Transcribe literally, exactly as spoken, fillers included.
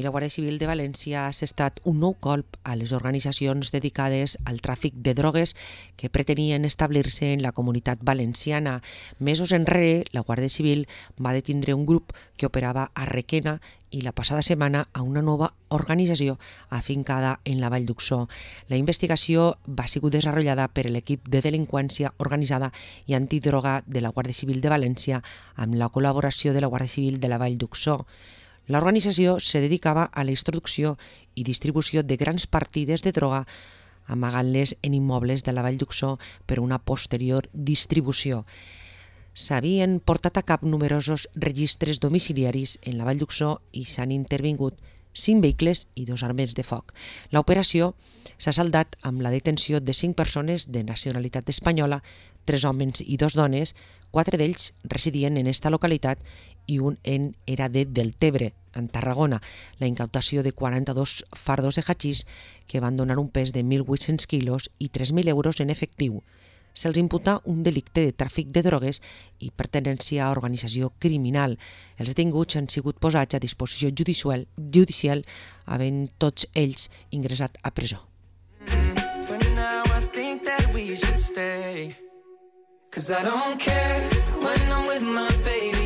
i la Guàrdia Civil de València ha assestat un nou colp a les organitzacions dedicades al tràfic de drogues que pretenien establir-se en la comunitat valenciana. Mesos enrere, la Guàrdia Civil va detindre un grup que operava a Requena i la passada setmana a una nova organització afincada en la Vall d'Uxó. La investigació va ser desenvolupada per l'equip de delinqüència organitzada i antidroga de la Guàrdia Civil de València amb la col·laboració de la Guàrdia Civil de la Vall d'Uxó. L'organització se dedicava a la introducció i distribució de grans partides de droga, amagant-les en immobles de la Vall d'Uxó per una posterior distribució. S'havien portat a cap numerosos registres domiciliaris en la Vall d'Uxó i s'han intervingut cinc vehicles i dos armes de foc. L'operació s'ha saldat amb la detenció de cinc persones de nacionalitat espanyola, tres homes i dos dones, quatre d'ells residien en esta localitat i un en era de Deltebre, en Tarragona, la incautació de quaranta-dos fardos de hachís que van donar un pes de mil vuit-cents quilos i tres mil euros en efectiu. Se'ls imputa un delicte de tràfic de drogues i pertenència a organització criminal. Els detinguts han sigut posats a disposició judicial, judicial havent tots ells ingressat a presó. But now I think that we should stay, 'cause I don't care when I'm with my baby.